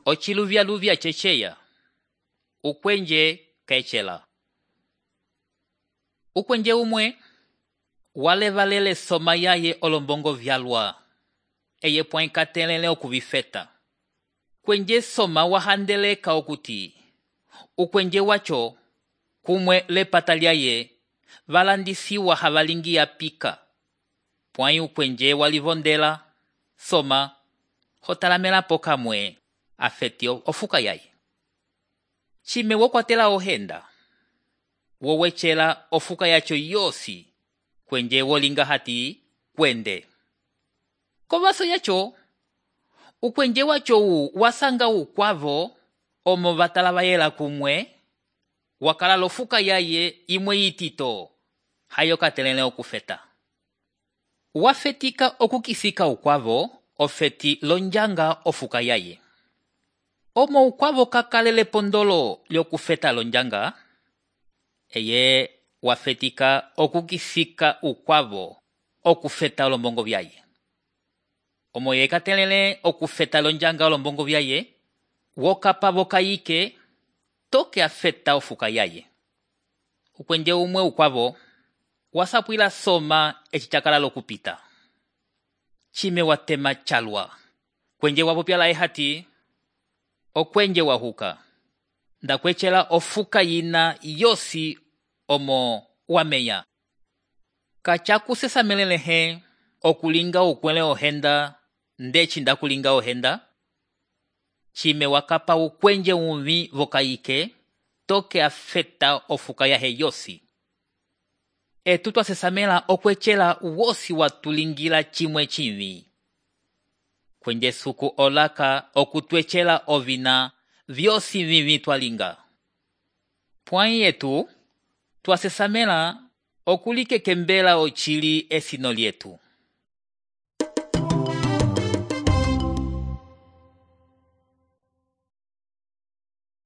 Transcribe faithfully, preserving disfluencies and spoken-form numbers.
ociluvyaluvya ceceya. Ukwenje kecela. Ukwenje umwe walevalele soma yaye olombongo vyalwa. Eye point katelele okuvifeta. Kwenje soma wahandeleka okuti. Ukwenje wacho kumwe lepata lyaye valandisiwa havalingi ya pika. Point ukwenje walivondela soma hotalamela poka mwe afeti ofuka yaye. Chime wokwatela ohenda. Wowechela ofuka yacho yosi kwenje wolinga hati kwende. Kovaso yacho ukwenje wacho u wasanga ukwavo omo vatalavayela kumwe wakala lofuka yaye imwe yitito hayo katelele okufeta. Wafetika okukisika ukwavo ofeti lonjanga ofuka yaye. Omo ukwavo kakalele pondolo lyokufeta lonjanga, eye wafetika okukisika ukwavo okufeta olombongo vyaye. Omo ye katelele okufeta lonjanga olombongo vyaye, wokapa vokayike toke afeta ofuka yaye. Ukwenje umwe ukwavo wasapwila soma echichakala lokupita. Chime watema chalwa. Kwenje wapopyala ehati okwenje wahuka. Ndakwechela ofuka yina yosi omo wameya. Kachakusesa melelehe okulinga ukwele ohenda ndechi ndakulinga ohenda. Chime wakapa ukwenje umvi vokayike toke afeta ofuka yahe yosi. Etu twasesamela okwechela wosi watulingila chimwe chimvi. Kwenje suku olaka okutwechela ovina vyosi vivi twalinga. Point yetu twasesamela okulike kembela ochili esino lietu.